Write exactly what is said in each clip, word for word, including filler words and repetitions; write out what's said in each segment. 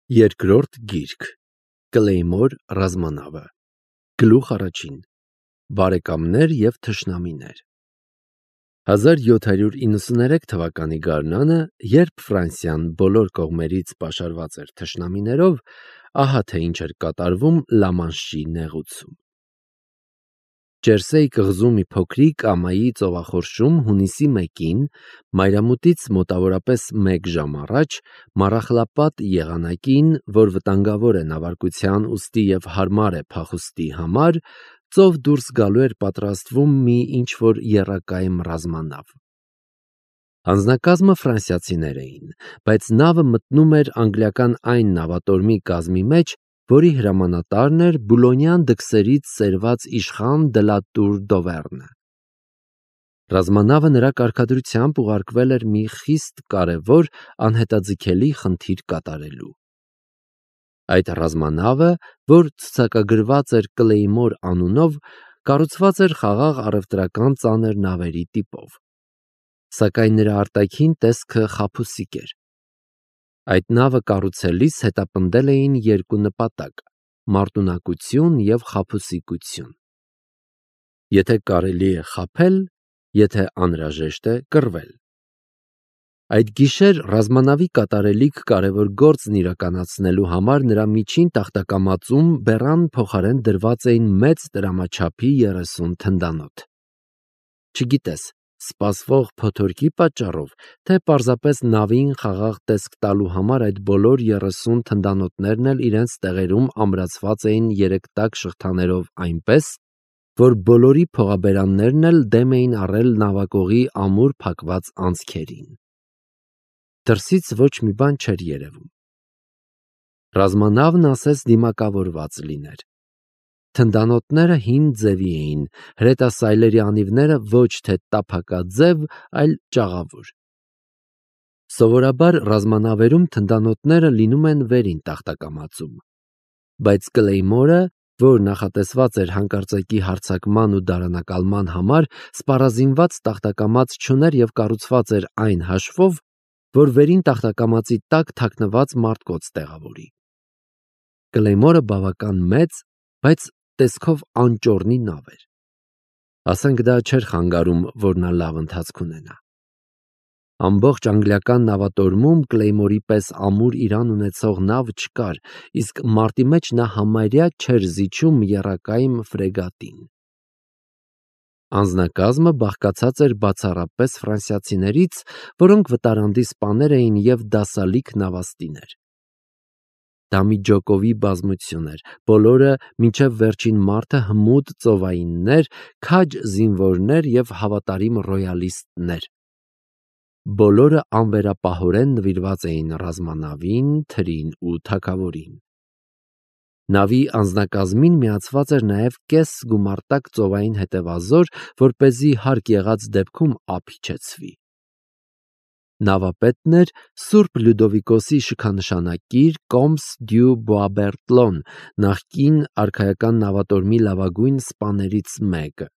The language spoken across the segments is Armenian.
Երկրորդ գիրք Կլեյմոր ռազմանավը Գլուխ առաջին Բարեկամներ և թշնամիներ հազար յոթ հարյուր իննսուներեք թվականի գարնանը, երբ Ֆրանսիան բոլոր կողմերից պաշարված էր թշնամիներով, ահա թե ինչ էր կատարվում Լամանշի նեղուցում։ Ջերսեի կղզու մի փոքրիկ ամայի ծովախորշում հունիսի մեկին, մայրամուտից մոտավորապես մեկ ժամ առաջ, մառախլապատ եղանակին, որ վտանգավոր է նավարկության ուստի և հարմար է փախուստի համար, ծով դուրս գալու էր պատրաստվում մի ինչ-որ եռակայմ ռազմանավ։ Անձնակազմը ֆրանսիացիներ էին, բայց նավը մտնում էր անգլիական այն նավատորմի կազմի մեջ, որի հրամանատարն էր բուլոնյան դքսերից սերված իշխան դը լա Տուր Դովեռնը։ Ռազմանավը նրա կարգադրությամբ ուղարկվել էր մի խիստ կարևոր, անհետաձգելի խնդիր կատարելու։ Այդ ռազմանավը, որ ցուցակագրված էր Կլեյմոր անունով, կառուցված էր խաղաղ առևտրական ծանր նավերի տիպով։ Սակայն նրա արտաքին տեսքը խաբուսիկ էր։ Այդ նավը կառուցելիս հետապնդել էին երկու նպատակ՝ մարտունակություն և խաբուսիկություն։ Եթե կարելի է խաբել, եթե անհրաժեշտ է կռվել։ Այդ գիշեր ռազմանավի կատարելիք կարևոր գործն իրականացնելու համար նրա միջին տախտակամածում բեռան փոխարեն դրված էին մեծ տրամաչափի երեսուն թնդանոթ։ Չգիտես, սպասվող փոթորկի պատճառով, թե պարզապես նավին խաղաղ տեսք տալու համար այդ բոլոր երեսուն թնդանոթներն էլ իրենց տեղերում ամրացված էին երեքտակ շղթաներով այնպես, որ բոլորի փողաբերաններն էլ դեմ էին առել նավակողի ամուր փակված անցքերին։ Դրսից ոչ մի բան չէր երևում։ Ռազմանավն ասես դիմակավորված լիներ։ Թնդանոթները հին ձևի էին, հրետասայլերի անիվները ոչ թե տափակաձև, այլ ճաղավուր։ Սովորաբար ռազմանավերում թնդանոթները լինում են վերին տախտակամածում, բայց Կլեյմորը, որ նախատեսված էր հանկարծակի հարձակման ու դարանակալման համար, սպառազինված տախտակամած չուներ և կառուցված էր այն հաշվով, որ վերին տախտակամածի տակ թաքնված մարտկոց տեղավորի։ Կլեյմորը բավական մեծ, բայց տեսքով անճոռնի նավ էր։ Ասենք դա չէր խանգարում, որ նա լավ ընթացք ունենա։ Ամբողջ անգլիական նավատորմում Կլեյմորի պես ամուր իրան ունեցող նավ չկար, իսկ մարտի մեջ նա համարյա չէր զիջում եռակայմ ֆրեգատին։ Անձնակազմը բաղկացած էր բացառապես ֆրանսիացիներից, որոնք վտարանդի սպաներ էին և դասալիկ նավաստիներ։ Դա մի ջոկովի բազմություն էր, բոլորը մինչև վերջին մարդը հմուտ ծովայիններ, քաջ զինվորներ և հավատարիմ ռոյալիստներ։ Բոլորը անվերապահորեն նվիրված էին ռազմանավին, թրին ու թագավորին։ Նավի անձնակազմին միացված էր նաև կես գումարտակ ծովային հետևազոր, որպեսզի հարկ եղած դեպքում ափ իջեցվի։ Նավապետն էր Սուրբ Լյուդովիկոսի շքանշանակիր կոմս դյու Բոաբերտլոն, նախկին արքայական նավատորմի լավագույն սպաներից մեկը։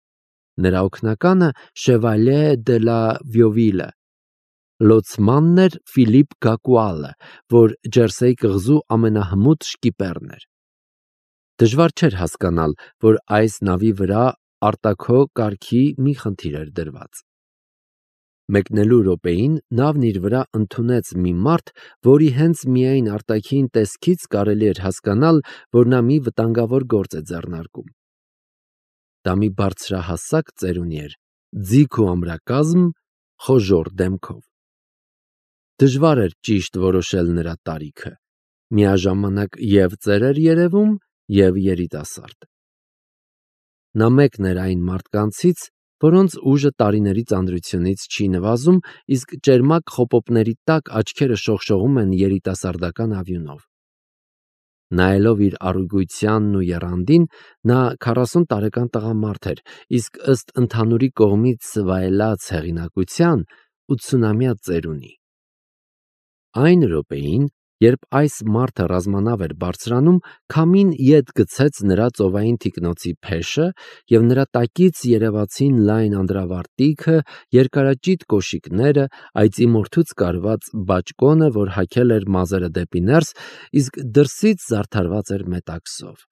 Նրա օգնականը Շևալյե դը լա Վիովիլը։ Լոցմանն էր Ֆիլիպ Գակուալը, որ Ջերսեի կղզու ամենահմուտ շկիպերն էր։ Դժվար չէր հասկանալ, որ այս նավի վրա արտաքո կարգի մի խնդիր էր դրված։ Մեկնելու րոպեին նավն իր վրա ընդունեց մի մարդ, որի հենց միայն արտաքին տեսքից կարելի էր հասկանալ, որ նա մի վտանգավոր գործ է ձեռնարկում։ Դա մի բարձրահասակ ծերունի էր, ձիգ ու ամրակազմ, խոժոռ դեմքով։ Դժվար էր ճիշտ որոշել նրա տարիքը, միաժամանակ և ծեր էր երևում, և երիտասարդ։ Նա մեկն էր այն մարդկանցից, որոնց ուժը տարիների ծանրությունից չի նվազում, իսկ ճերմակ խոպոպների տակ աչքերը շողշողում են երիտասարդական ավյունով։ Նայելով իր առուգույթյանն ու եռանդին, նա քառասուն տարեկան տղամարդ էր, իսկ ըստ ընդհանուրի կողմից վայելած հեղինակության՝ ութսունամյա ծերունի։ Այն րոպեին, Երբ այս մարդը ռազմանավ էր բարձրանում, քամին ետ գցեց նրա ծովային թիկնոցի փեշը, և նրա տակից երևացին լայն անդրավարտիքը, երկարաճիտ կոշիկները, այծի մորթուց կարված բաճկոնը, որ հագել էր մազերը դեպի ներս, իսկ դրսից զարդարված էր մետաքսով։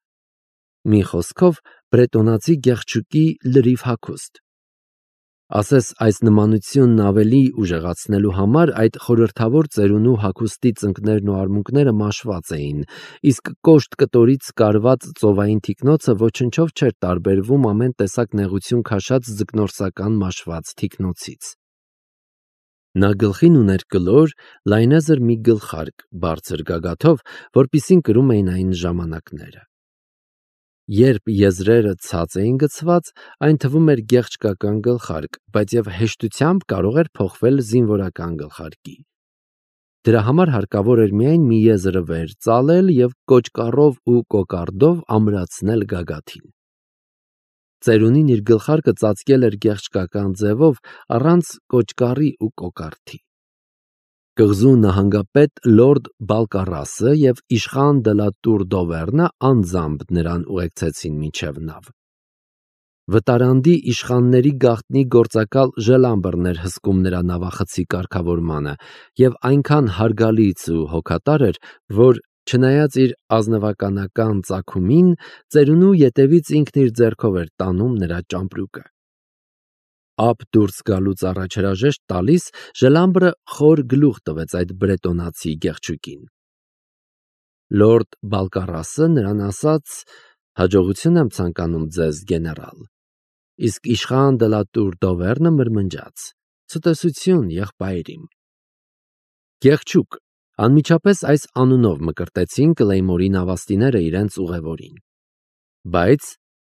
Մի խոսքով, բրետոնացի գեղչուկի լրիվ հագուստ։ Ասես այս նմանությունն ավելի ուժեղացնելու համար այդ խորհրդավոր ծերունու հագուստի ծնկներն ու արմունկները մաշված էին, իսկ կոշտ կտորից կարված ծովային թիկնոցը ոչնչով չէր տարբերվում ամեն տեսակ նեղություն քաշած ձկնորսական մաշված թիկնոցից։ Նա գլխին ուներ կլոր, լայնազր մի գլխարկ, բարձր գագաթով, որպիսին կրում էին այն ժամանակները։ Երբ եզրերը ցած էին գցված, այն թվում էր գեղչկական գլխարկ, բայց և հեշտությամբ կարող էր փոխվել զինվորական գլխարկի։ Դրա համար հարկավոր էր միայն մի եզրը վեր ծալել և կոճկառով ու կոկարդով ամրացնել գագաթին։ Ծերունին իր գլխարկը ծածկել էր գեղչկական ձևով, առանց կոճկառի ու կոկարդի։ Կղզու նահանգապետ լորդ Բալկարասը և իշխան դը լա Տուր Դովեռնը անձամբ նրան ուղեկցեցին մինչև նավ։ Վտարանդի իշխանների գաղտնի գործակալ Ժելամբրն էր հսկում նրա նավախցի կարգավորմանը և այնքան հարգալից ու հոգատար էր, որ, չնայած իր ազնվականական ծագումին, ծերունու ետևից ինքն իր ձեռքով էր տանում նրա ճամպրուկը։ Ափ դուրս գալուց առաջ հրաժեշտ տալիս, Ժելամբրը խոր գլուխ տվեց այդ բրետոնացի գեղչուկին։ Լորդ Բալկարասը նրան ասաց. «Հաջողություն եմ ցանկանում ձեզ, գեներալ»։ Իսկ իշխան դը լա Տուր Դովեռնը մրմնջաց. «Ցտեսություն, եղբայր իմ»։ Գեղչուկ, անմիջապես այս անունով մկրտեցին Կլեյմորի նավաստիները իրենց ուղևորին։ Բայց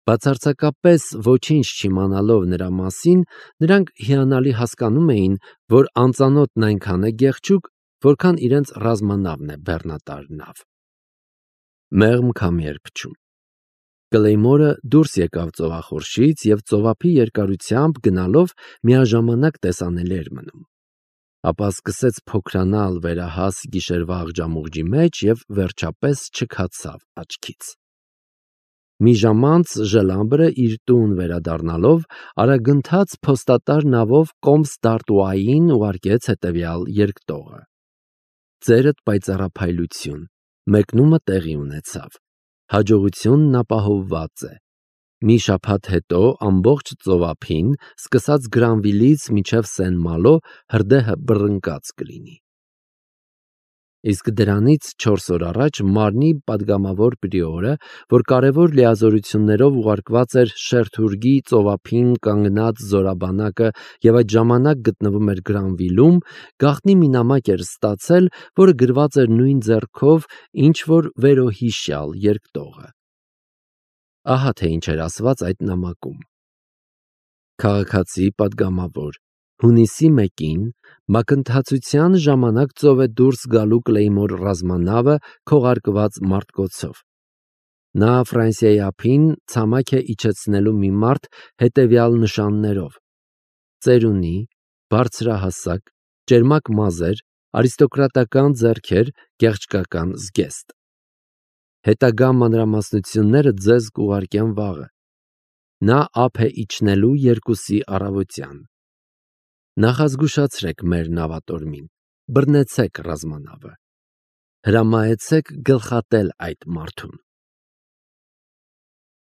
բացարձակապես ոչինչ չիմանալով նրա մասին, նրանք հիանալի հասկանում էին, որ անծանոթն այնքան է գեղչուկ, որքան իրենց ռազմանավն է բեռնատար նավ։ Մեղմ քամի էր փչում։ Կլեյմորը դուրս եկավ ծովախորշից և ծովափի երկարությամբ գնալով միաժամանակ տեսանելի էր մնում։ Ապա սկսեց փոքրանալ վերահաս գիշերվա աղջամուղջի մեջ և վերջապես չքացավ աչքից։ Մի ժամ անց Ժելամբրը իր տուն վերադառնալով արագընթաց փոստատար նավով կոմս Դարտուային ուղարկեց հետևյալ երկտողը. Ձերդ պայծառափայլություն, մեկնումը տեղի ունեցավ, հաջողությունն ապահովված է։ Մի շաբաթ հետո ամբողջ ծովափին, սկսած Գրանվիլից մինչև Սեն-Մալո, հրդեհը բռնկած կլինի։ Իսկ դրանից չորս օր առաջ Մարնի պատգամավոր պրիորը, որ կարևոր լիազորություններով ուղարկված էր Շերթուրգի ծովափին կանգնած զորաբանակը և այդ ժամանակ գտնվում էր Գրանվիլում, գաղտնի մի նամակ էր ստացել, որը գրված էր նույն ձեռքով, ինչ որ վերոհիշյալ երկտողը։ Ահա թե ինչ էր ասված այդ նամակում. Քաղաքացի պատգամավոր, հունիսի մեկին մակընթացության ժամանակ ծով է դուրս գալու Կլեյմոր ռազմանավը քողարկված մարտկոցով։ Նա Ֆրանսիայի ափին ցամաք է իջեցնելու մի մարդ հետևյալ նշաններով. ծերունի, բարձրահասակ, ճերմակ մազեր, արիստոկրատական ձեռքեր, գեղչկական զգեստ։ Հետագա մանրամասնությունները ձեզ կուղարկեմ վաղը։ Նա ափ է իջնելու երկուսի առավոտյան։ Նախազգուշացրեք մեր նավատորմին, բռնեցեք ռազմանավը։ Հրամայեցեք գլխատել այդ մարդուն։